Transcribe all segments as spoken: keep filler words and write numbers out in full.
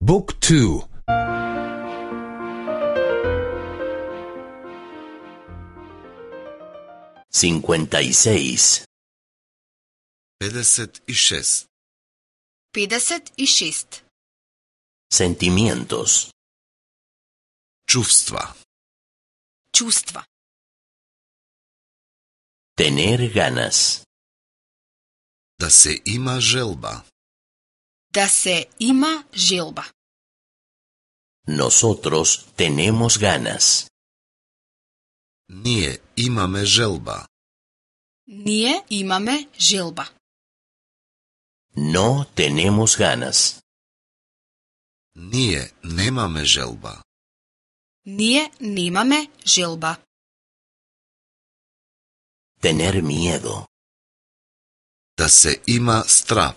Book two. cincuenta y seis. педесет и шест. педесет и шест. Sentimientos. Чувства. Чувства. Tener ganas. Да се има желба. Да се има желба. Nosotros tenemos ganas. Ние имаме желба. Ние имаме желба. No tenemos ganas. Ние немаме желба. Ние немаме желба. Tener miedo. Да се има страв.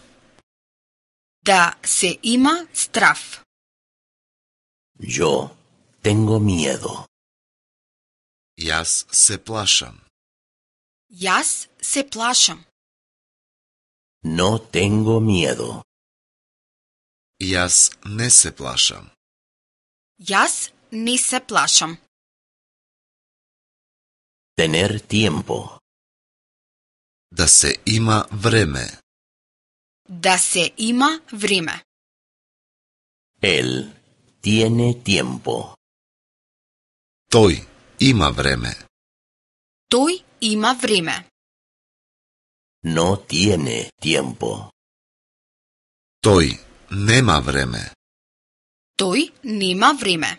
Да се има страв. Yo tengo miedo. Јас се плашам. Јас се плашам. No tengo miedo. Јас не се плашам. Јас не се плашам. Tener tiempo. Да се има време. Да се има време. Él tiene tiempo. Тој има време. Тој има време. No tiene tiempo. Тој нема време. Тој нема време.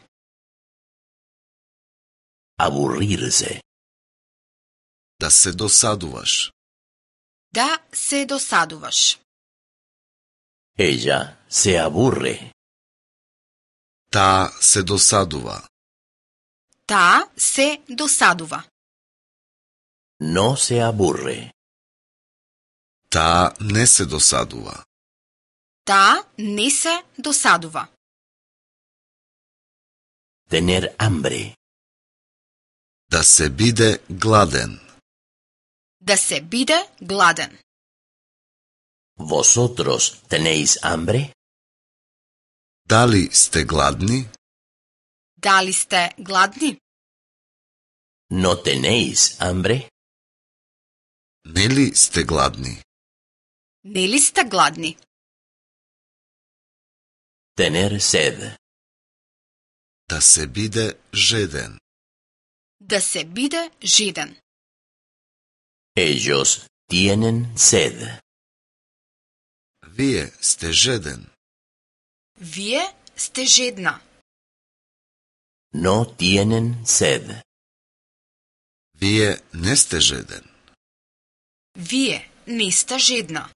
Aburrirse. Да се досадуваш. Да се досадуваш. Ella se aburre. Таа се досадува. Таа се досадува. No se aburre. Таа не се досадува. Таа не се досадува. Tener hambre. Да се биде гладен. Да се биде гладен. ¿Vosotros tenéis hambre? Дали сте гладни? Дали сте гладни? ¿No tenéis hambre? Нели сте гладни? Нели сте гладни? Tener sed. Да се биде жеден. Да се биде жеден. Ellos tienen sed. Вие сте жеден. Вие сте жедна. No tienen sed. Вие не сте жеден. Вие не сте жедна.